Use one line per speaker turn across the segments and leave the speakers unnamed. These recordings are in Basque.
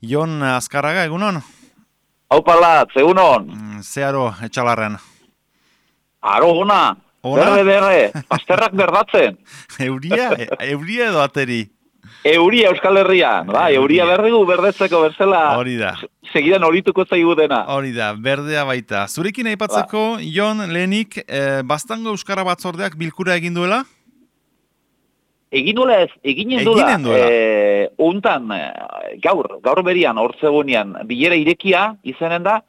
Jon Azkarraga, egunon?
Haupalat, egunon.
Zeharo, etxalarren.
Aro, ona.
Ona?
Berre, pasterrak berdatzen.
Euria edo ateri?
Euria Euskal Herrian. Ba, euria berrigu berdetzeko bezala.
Hori da.
Segidan horituko zaigu dena.
Hori da, berdea baita. Zurekin aipatzeko, Jon, lehenik, Baztango Euskara Batzordeak bilkura egin duela?
Egin duela ez, eginen duela. Untan, gaur berian, hortzegunean, bilera irekia izanen da,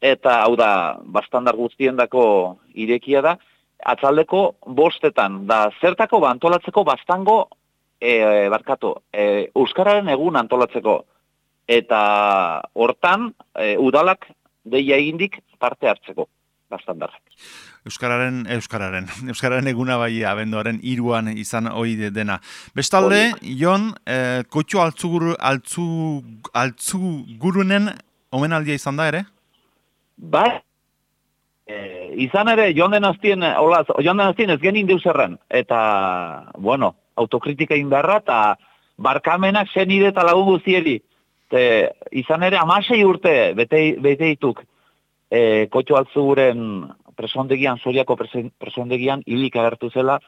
eta hau da, bastandar guztiendako irekia da, atzaldeko bostetan, da zertako antolatzeko Baztango, Euskararen egun antolatzeko, eta hortan, udalak deia egindik parte hartzeko, Baztandarrak.
Euskararen eguna bai abenduaren 3 izan ohi dena. Bestalde, Jon, Kotxo Altzugurunen omenaldia izan da ere?
Bai, izan ere, joan den aztien ez genin deuzerran, eta, bueno, autokritika indarra, eta barkamenak zenide eta lagun guztieri. Izan ere, 16 urte bete dituk Kotxo Altzuguren presondegian, Soriako presondegian hilik agertu zela,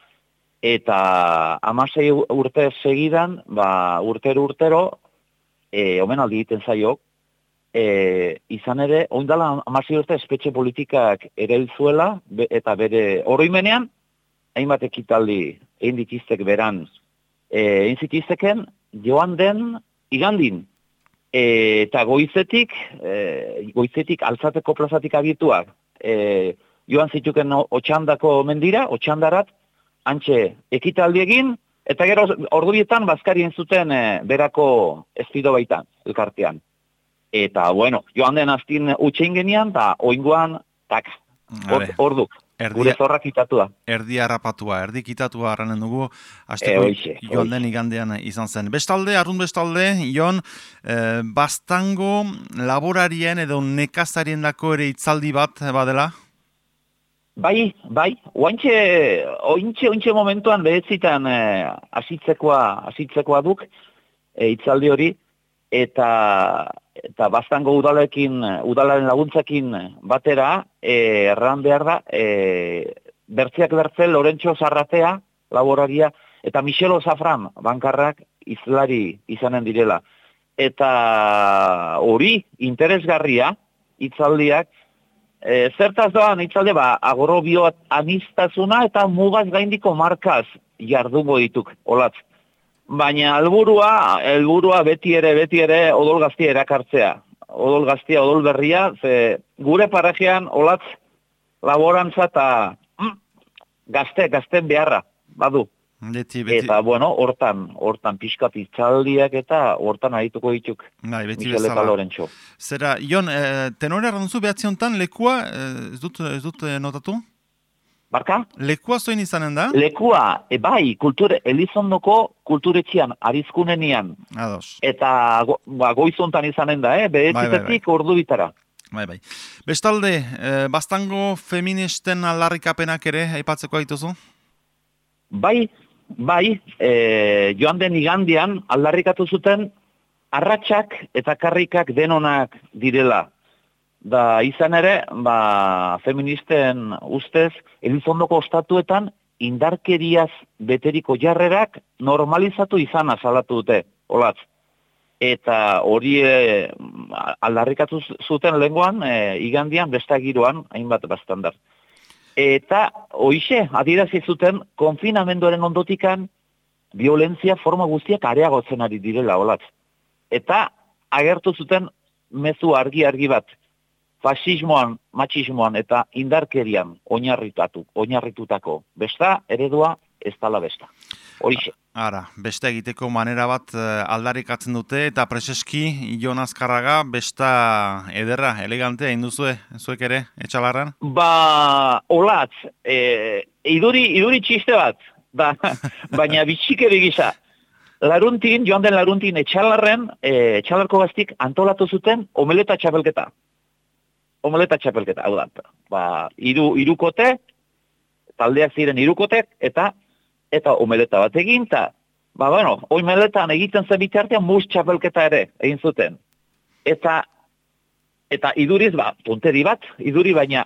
eta 16 urte segidan, urtero, omenaldi egiten zaio, izan ere, oindala 16 urte espetxe politikak ere zuela, eta bere oroimenean, hainbat ekitaldi egin ditiztek beran, egin zitizteken, joan den igandin, eta goizetik altzateko plazatik abituak, joan zituken Otxandako mendira, Otxandarat, antxe ekitaldi egin, eta gero ordubietan bazkarien zuten berako espido baitan, elkartean. Eta, bueno, joan den aztin utxein genian, eta oingoan, orduk. Gure zorra kitatua.
Erdi harrapatua, erdi kitatua harranen dugu, hasteko joan den igandean izan zen. Bestalde, Jon, Baztango laborarien edo nekazarien dako ere hitzaldi bat badela?
Bai, ointxe momentuan behetzitan asitzekoa duk hitzaldi hori, eta Baztango udalaren laguntzakin batera, erran behar da, bertziak bertzel, Lorentxo Zarratea, laboraria, eta Michelo Zafran, bankarrak, izlari izanen direla. Eta hori, interesgarria, hitzaldiak, zertaz doan hitzalde, agrobio anistazuna eta mugaz gaindiko markaz jardungo dituk, olatz. Baina helburua beti ere odol gaztia erakartzea. Odol gaztia, odol berria, ze gure parajean olatz laborantza eta gazten beharra, badu.
Beti.
Eta, bueno, hortan pixkat hitzaldiak eta hortan arituko dituk.
Michel eta
Lorentxo.
Zera, Jon, tenore arranzu behatzi honetan, lekua, ez dut notatu?
Barka?
Lekua zoin izanen da?
Lekua, bai, Elizondoko kulturetxian, arizkunenian.
Ados.
Eta goizontan izanen da, bedezitetik ordu bitara.
Bai. Bestalde, Baztango feministen aldarrikapenak ere, aipatzeko aituzu?
Bai, joan den igandian aldarrikatu zuten arratsak eta karrikak denonak direla. Da izan ere, feministen ustez, Elizondoko ostatuetan indarkeriaz beteriko jarrerak normalizatu izana salatu dute, olatz. Eta hori aldarrikatu zuten lehengoan, igandian, bestagiroan, hainbat Baztandar. Eta hoixe, adierazi zuten, konfinamenduaren ondotikan, violentzia forma guztiak areagotzen ari direla, olatz. Eta agertu zuten mezu argi bat, fasismoan, matxismoan eta indarkerian oinarritutako besta, eredua ez dala besta. Horixe.
Ara, besta egiteko manera bat aldarrikatzen dute eta preseski Jon Azkarraga besta ederra, elegantea induzue, zuek ere, etxalarran?
Olatz, iduri txiste bat, baina bitxikeri gisa. Joan den laruntin etxalarren, etxalarko gaztik antolatu zuten omeleta txapelketa. Hau da. Hirukote, taldeak ziren hirukotek, eta omeleta bat egin, eta, omeletan egiten zen bitartean mus txapelketa ere egin zuten. eta iduriz, punteri bat, iduri baina,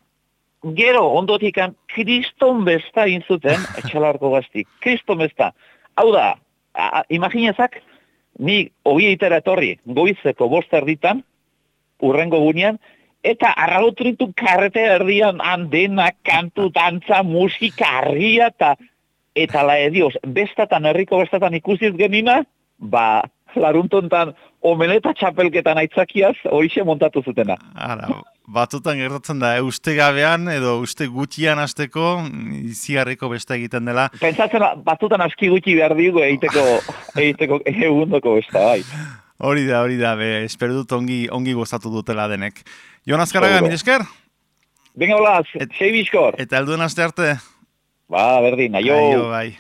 gero ondotikan kriston besta inzuten, etxalarko gazti, kriston besta. Hau da, imaginezak, ni oieitera etorri, goizeko 5 erditan, urrengo gunean, eta arrautritu karrete erdian andena, kantu, dantza, musika, argia, eta dios, bestatan, herriko bestatan ikusiz genina, laruntontan omeleta txapelketan aitzakiaz, horixe montatu zutena.
Ara, batzutan gertatzen da, uste gabean edo uste gutxian hasteko izigarriko besta egiten dela.
Pentsatzen batzutan aski gutxi behar digu egiteko egundoko besta, bai.
Hori da, espero dut ongi gozatu dutela denek. Jon Azkarraga, mil esker?
Venga, hola, sei bizkor.
Eta helduen aste arte?
Berdin, aio.
Aio, bai.